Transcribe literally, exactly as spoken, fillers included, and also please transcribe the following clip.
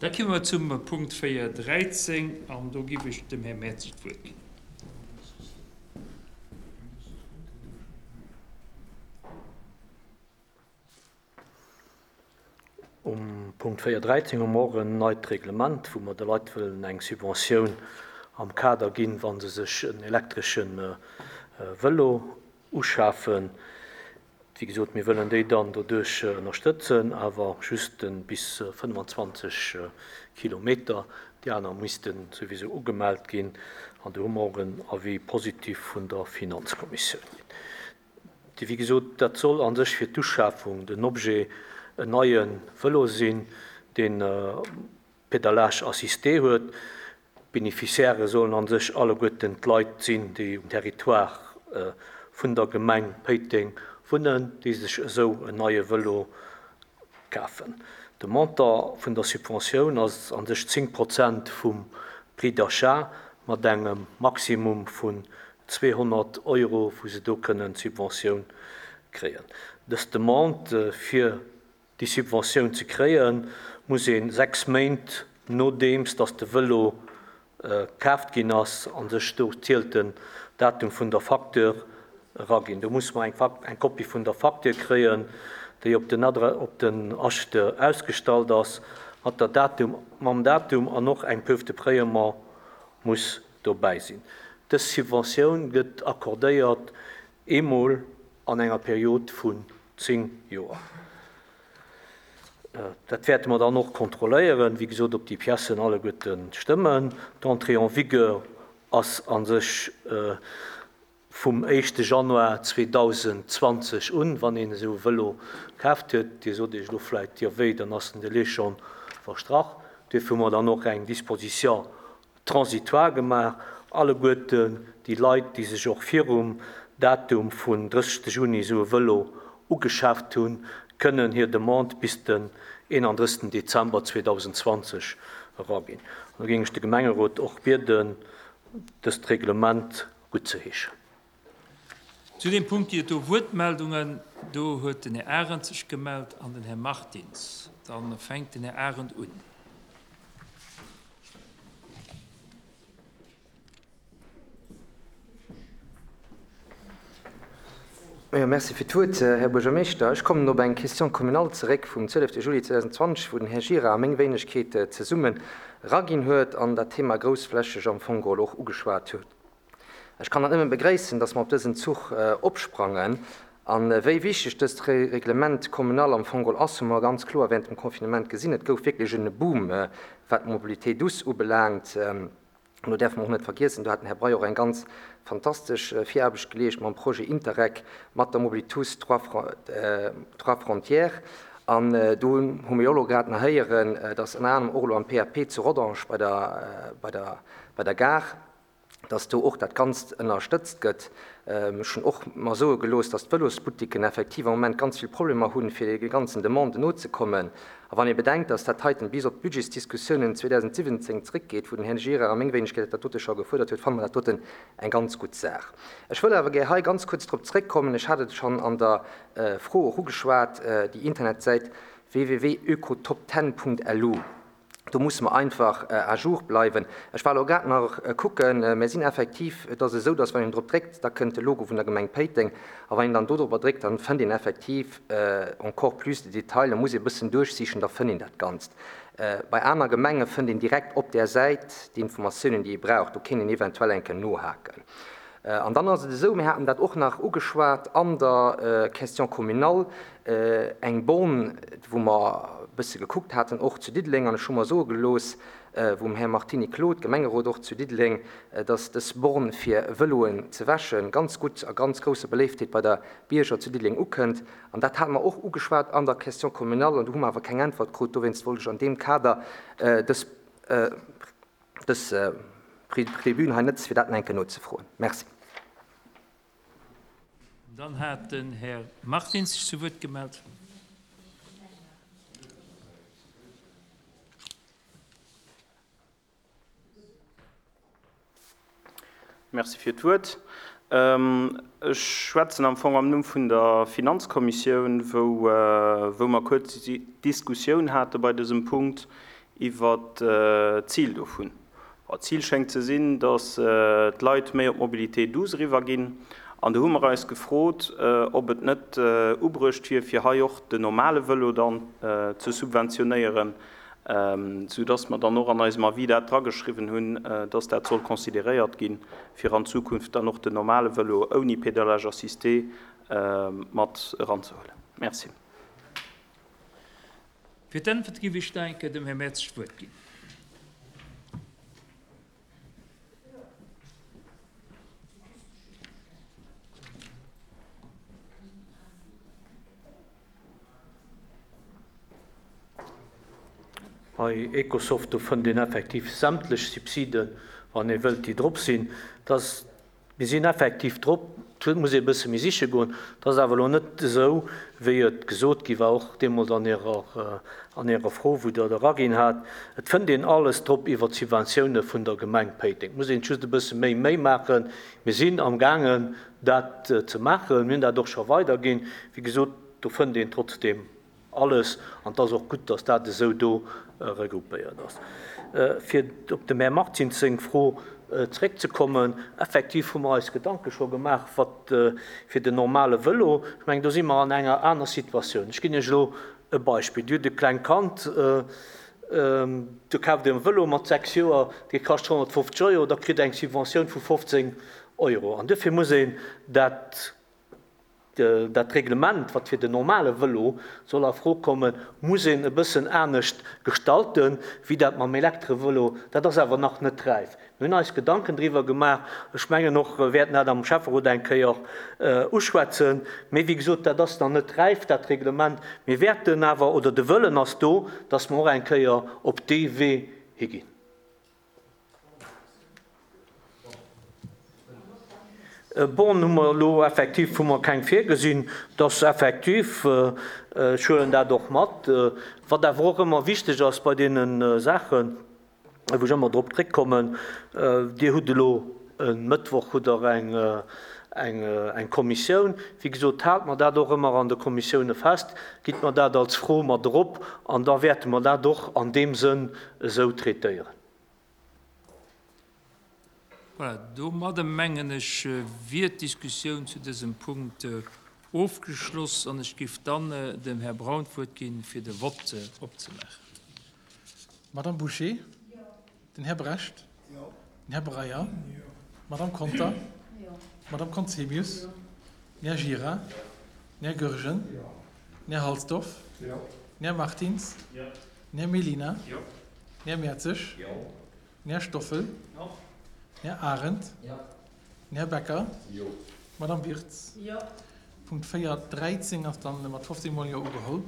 Da komme mer zum Punkt véier dräizéng an do giff ech dem Här Mertzig d'Wuert ginn. Um Punkt véier dräizéng hu mer och en neit Reglement, wou mer de Leit wëllen eng Subventioun am Kader ginn, wa se sech en elektresche Vëlo uschafen. Wéi gesot, mir wëllen déi dann doduerch ënnerstëtzen, awer just bis fënnfanzwanzeg Kilometer. Déi aner misste souwisou ugemellt ginn. An do hu mer och en Avis positif vun der Finanzkommissioun ginn. Wéi gesot, dat soll a sech fir d'Uschafung den Objet en neie Vëlo sinn, deen Pédalage assisté huet. D'Beneficiairë sollen a sech alleguerten d'Leit sinn, déi um Territoire vun der Gemeng Péiteng wunnen, déi sech esou en neie Vëlo kafen. De Montant vun der Subventioun ass a sech zéng Prozent vum Prix d'achat mat engem Maximum vun zweehonnert Euro, wou se do kënnen d'Subventioun kréien. Dës Demande fir déi Subventioun ze kréien, muss ee sechs Méint nodeems datt de Vëlo kaaft ginn ass, a sech do zielt den Datum vun der Facture, eraginn. Do muss mer eng Kopie vun der Facture kréien, déi op den Adre op den Acheteur ausgestallt ass, mat der Datum, mam Datum an och eng Preuve de paiement muss dobäi sinn. Dës Subventioun gëtt accordéiert eemol an enger Period vun zéng Joer. Dat wäerte mer dann och kontrolléieren, wéi gesot, ob déi Piècen alleguerte stëmmen. D'Entrée en vigueur ass a sech vum éischte Januar zweedausendzwanzeg un, wann een esou e Vëlo kaaft huet. Dir sot Iech elo vläicht, jo wéi, dann ass den Délai schonn verstrach. Duerfir hu mer dann och eng Disposition transitoire gemaach. Alleguerten déi Leit, déi sech och virum Datum vun drëssegste Juni esou e Vëlo ugeschaaft hunn, kënnen hir Demande bis den eenandrëssegsten Dezember zweedausendzwanzeg eraginn. An da géing ech de Gemengerot och bieden, dëst Reglement guttzeheeschen. Zu deem Punkt gi et do Wuertmeldungen. Do huet den Här Arendt sech gemellt an den Här Martins. Da fänkt den Här Arendt un. Jo, merci fir d'Wuert, Här Buergermeeschter. Ech kommen op eng Question communale zeréck vum zwielefte Juli zweedausendzwanzeg, wou den Här Gira a meng Wéinegkeet zesummen eraginn huet an dat Thema groussflächeg am Fong geholl och ugeschwat huet. Ech kann dat nëmme begréissen, dass mer op dësen Zuch opsprangen. An wéi wichteg dëst Reglement communal am Fong geholl ass, hu mer ganz kloer während dem Confinement gesinn. Et gouf wierklech en Boom, wat d'Mobilité douce ubelaangt. An do däerfe mer och net vergiessen, do hat den Här Breyer och eng ganz fantastesch Viraarbecht geleescht mam Projet Interreg, mat der Mobilitous Trois Frontières. An do hu mir jo elo grad nach héieren, dass ënner anerem och elo am P A P zu Rodange bei der, bei der, bei der Gare, dass do och dat Ganzt ënnerstëtzt gëtt. Ech hunn och mer soe gelooss, dass d'Vëlosboutiquen effektiv am Moment ganz vill Problemer hunn, fir de ganzen Demanden nozekommen. A wann ee bedenkt, dass dat heiten bis op d'Budgetsdiskussiounen zweedausensiwwenzéng zréckgeet, wou den Här Gira a meng Wéinegkeet dat dote scho gefuerdert huet, fanne mer dat doten eng ganz gutt Saach. Ech wëll awer gär hei ganz kuerz drop zréckkommen, ech hat et schonn an der Fro och ugeschwat, déi Internetsäit w w w ökotopten punkt l u. Do musse mer einfach à jour bleiwen. Ech war elo grad nach kucken, mir sinn effektiv, et ass esou, dass wann een drop dréckt, da kënnt de Logo vun der Gemeng Péiteng, a wann een dann do drop dréckt, dann fënnt een effektiv encore plus de détails, da muss ee e bëssen duerchsichen, da fënnt een dat Ganzt. Bei aner Gemenge fënnt een direkt op där Säit déi Informatiounen, déi ee brauch, do kéint een eventuell eng Kéier nohaken. An dann ass et esou, mir haten dat och nach ugeschwat an der Question communale, eng Born, wou mer e bësse gekuckt haten, och zu Diddeleng, an ech hu mer soe gelooss vum Här Martini Claude, Gemengerot och zu Diddeleng, dass dës Born fir Vëloen ze wäschen ganz gutt a ganz grousser Beléiftheet bei der Bierger zu Diddeleng ukënnt. An dat hate mer och ugeschwat an der Question communale, an do hu mer awer keng Äntwert krut. Dowéinst wollt ech an deem Kader dës, dës Tribün hei nëtze fir dat nach eng Kéier nozefroen. Merci. Dann hat den Här Martins sech zu Wuert gemellt. Merci fir d'Wuert. Ech schwätzen am Fong am Numm vun der Finanzkommissioun, wou, wou mer kuerz Diskussioun hate bei dësem Punkt iwwer d'Zil dovun. D'Zil schéngt ze sinn, datt d'Leit méi op d'Mobilité douce eriwwerginn. An do hu mer eis gefrot, ob et net ubruecht wier, fir hei och den normale Vëlo dann ze subventionéieren, soudass mer dann och an eisem Avis dat drageschriwwen hunn, dass dat soll consideréiert ginn, fir an Zukunft dann och den normale Vëlo ouni Pédalage assisté mat eranzehuelen. Merci. Fir d'Äntwert géif ech da eng Kéier dem Här Mertz d'Wuert ginn. Bei Ecosoft, do fënnt een effektiv sämtlech Subsiden, wann ee wëllt, déi drop sinn. Dass, mir sinn effektiv drop, et muss ee e bësse méi siche goen. Dat ass awer elo net esou, wéi et gesot gi war, och deemools an Ärer, an Ärer Fro, wou Der et eraginn hat. Et fënnt een alles drop iwwer d'Subventioune vun der Gemeng Péiteng. Et muss een just e bësse méi Méi maachen. Mir sinn amgaangen, dat ze maachen. Mir hunn dat och scho weiderginn. Wéi gesot, do fënnt een trotzdeem alles, an et ass och gutt, dass dat esou do regroupéiert ass. Fir op dem Här Martins seng Fro zréckzekommen, Effektiv hu mer eis Gedanke scho gemaach, wat fir den normale Vëlo, ech mengen, do si mer an enger aner Situatioun. Ech ginn Iech elo e Beispill. Dir hutt e klengt Kand, do kaaft Dir e Vëlo mat sechs Joer, dee kascht honnertfofzeg Euro, da kritt Der eng Subventioun vu fofzéng Euro. An duerfir muss een dat Dat Reglement, wat fir den normale Vëlo soll a Fro kommen, muss een e bëssen anescht gestalten, wéi dat mam Elektrevëlo. Dat ass awer nach net räif. Mir hunn eis Gedanken driwwer gemaach. Ech mengen och, wäerten dat am Schäfferot eng Kéier uschwätzen. Mee wéi gesot, dat ass nach net räif, dat Reglement. Mir wäerten awer, oder de Wëllen ass do, dass mer och eng Kéier op dee Wee higinn. Bon, hu mer elo effektiv hu mer keng virgesinn. Dat ass effektiv, ech huelen dat och mat. Wat awer och ëmmer wichteg ass bei deene Saachen, wou ech ëmmer drop zréckkommen, Dir hutt elo e Mëttwoch hutt Der eng, eng, eng Kommissioun. Wéi gesot, haalt mer dat och ëmmer an de Kommissioune fest, gitt mer dat als Fro mat erop an da wäerte mer dat och an deem Sënn esou traitéieren. Voilà, domadde mengen ech, wier d'Diskussioun zu dësem Punkt ofgeschloss an ech géif dann dem Här Braun d'Wuert ginn, fir de Vott opzemaachen. Madame Bouché? Den Här Brecht? Den Här Breyer? D'Madame Conter? D'Madame Conzemius? Den Här Gira? Den Här Goergen? Den Här Halsdorf? Den Här Martins? Den Här Mellina? Den Här Mertzig? Den Här Stoffel? Den Här Arendt? Den Här Becker? D'Madame Wirtz? Punkt véier dräizéng ass dann mat fofzéng Mol Jo ugeholl.